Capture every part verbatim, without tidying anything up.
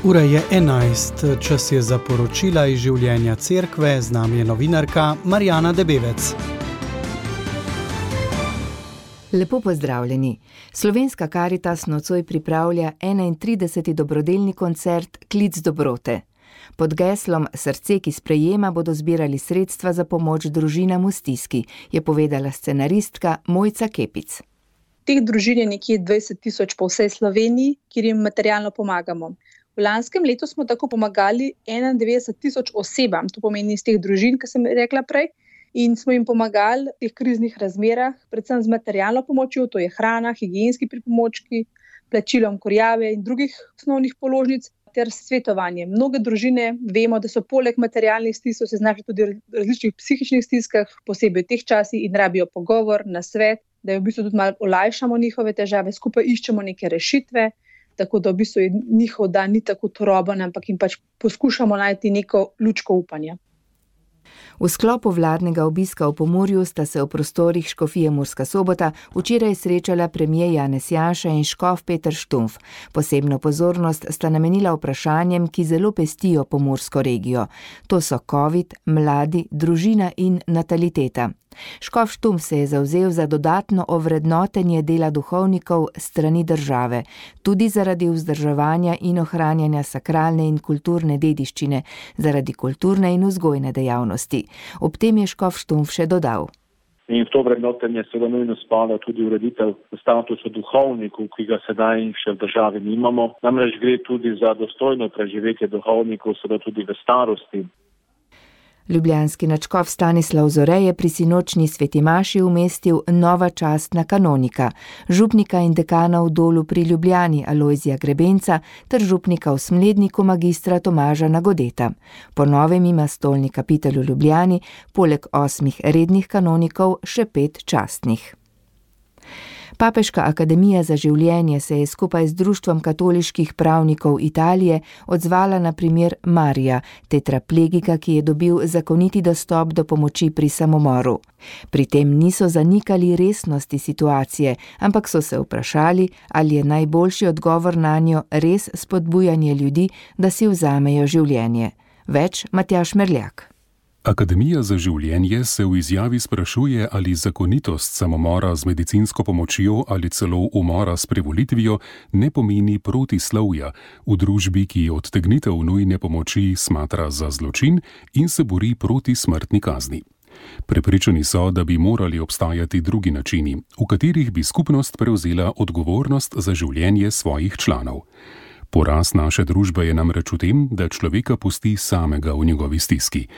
Ura je enajst, čas je za poročila iz življenja cerkve, z nami je novinarka Marjana Debevec. Lepo pozdravljeni. Slovenska Karitas nocoj pripravlja enaintrideseti dobrodelni koncert Klic dobrote. Pod geslom Srce, ki sprejema, bodo zbirali sredstva za pomoč družinam v stiski, je povedala scenaristka Mojca Kepic. Teh družin je nekje dvajset tisoč po vsej Sloveniji, kjer jim materialno pomagamo. V lanskem letu smo tako pomagali enaindevetdeset tisoč osebam, to pomeni iz teh družin, ki sem rekla prej, in smo jim pomagali v teh kriznih razmerah, predvsem z materialno pomočjo, to je hrana, higienski pripomočki, plačilom kurjave in drugih osnovnih položnic ter svetovanje. Mnoge družine vemo, da so poleg materialnih stisk se znašli tudi v različnih psihičnih stiskah, posebej v teh časih, in rabijo pogovor, nasvet, da v bistvu tudi malo olajšamo njihove težave, skupaj iščemo neke rešitve, tako da v bistvu je njihov dan ni tako turoben, ampak jim pač poskušamo najti neko lučko upanja. V sklopu vladnega obiska v Pomurju sta se v prostorih škofije Murska Sobota včeraj srečala premier Janez Janša in škof Peter Štumpf. Posebno pozornost sta namenila vprašanjem, ki zelo pestijo pomursko regijo. To so covid, mladi, družina in nataliteta. Škof Štumpf se je zavzel za dodatno ovrednotenje dela duhovnikov strani države, tudi zaradi vzdrževanja in ohranjanja sakralne in kulturne dediščine, zaradi kulturne in vzgojne dejavnosti. Ob tem je škof Štumpf še dodal. In v to vrednotenje seveda nujno spada tudi ureditev statusa duhovnikov, ki ga sedaj še v državi nimamo. Namreč gre tudi za dostojno preživetje duhovnikov, seveda tudi v starosti. Ljubljanski nadškof Stanislav Zore je pri sinočni sveti maši umestil nova častna kanonika, župnika in dekana v Dolu pri Ljubljani Alojzija Grebenca ter župnika v Smledniku magistra Tomaža Nagodeta. Po novem ima stolni kapitelj v Ljubljani poleg osmih rednih kanonikov še pet častnih. Papeška akademija za življenje se je skupaj z Društvom katoliških pravnikov Italije odzvala na primer Marija, tetraplegika, ki je dobil zakoniti dostop do pomoči pri samomoru. Pri tem niso zanikali resnosti situacije, ampak so se vprašali, ali je najboljši odgovor nanjo res spodbujanje ljudi, da si vzamejo življenje. Več Matjaž Merljak. Akademija za življenje se v izjavi sprašuje, ali zakonitost samomora z medicinsko pomočjo ali celo umora s privolitvijo ne pomeni protislovja v družbi, ki odtegnitev nujne pomoči smatra za zločin in se bori proti smrtni kazni. Prepričani so, da bi morali obstajati drugi načini, v katerih bi skupnost prevzela odgovornost za življenje svojih članov. Poraz naše družbe je namreč v tem, da človeka pusti samega v njegovi stiski.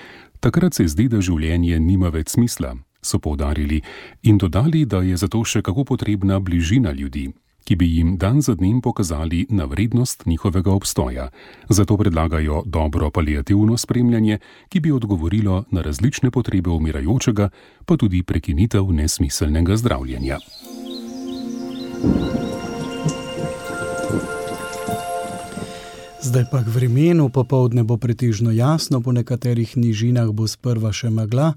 Takrat se zdi, da življenje nima več smisla, so poudarili in dodali, da je zato še kako potrebna bližina ljudi, ki bi jim dan za dnem pokazali na vrednost njihovega obstoja. Zato predlagajo dobro paliativno spremljanje, ki bi odgovorilo na različne potrebe umirajočega, pa tudi prekinitev nesmiselnega zdravljenja. Zdaj pa k vremenu, popoldne bo pretežno jasno, po nekaterih nižinah bo sprva še megla,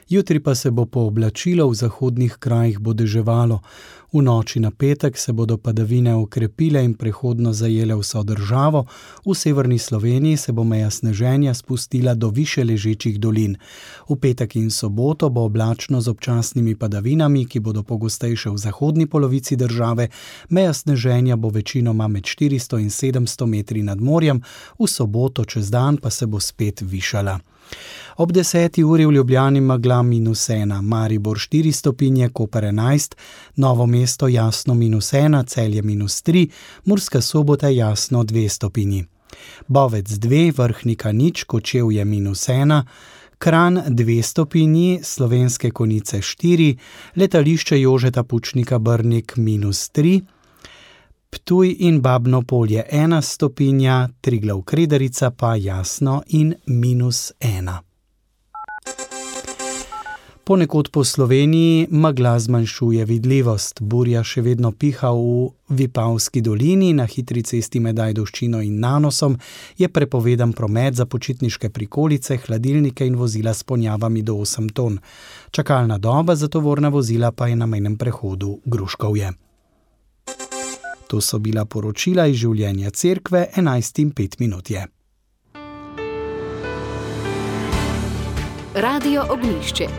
jutri pa se bo pooblačilo, v zahodnih krajih bo deževalo. V noči na petek se bodo padavine okrepile in prehodno zajele vso državo, v severni Sloveniji se bo meja sneženja spustila do više ležečih dolin. V petek in soboto bo oblačno z občasnimi padavinami, ki bodo pogostejše v zahodni polovici države, meja sneženja bo večinoma med štiristo in sedemsto metri nad morjem, v soboto čez dan pa se bo spet višala. Ob deseti uri v Ljubljani megla minus ena, Maribor štiri stopinje, Koper enajst, Novo mesto jasno minus ena, Celje minus tri, Murska Sobota jasno dve stopinji. Bovec dve, Vrhnika nič, Kočevje minus ena, Kranj dve stopinji, Slovenske Konjice štiri, letališče Jožeta Pučnika Brnik minus tri, Ptuj in Babno Polje ena stopinja, Triglav Kredarica pa jasno in minus ena. Ponekod po Sloveniji megla zmanjšuje vidljivost. Burja še vedno piha v Vipavski dolini, na hitri cesti med Ajdovščino in Nanosom je prepovedan promet za počitniške prikolice, hladilnike in vozila s ponjavami do osem ton. Čakalna doba za tovorna vozila pa je na mejnem prehodu Gruškovje. To so bila poročila iz življenja cerkve, enajst in pet minut je. Radio Ognjišče.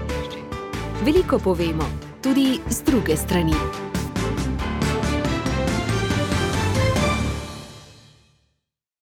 Veliko povemo, tudi z druge strani.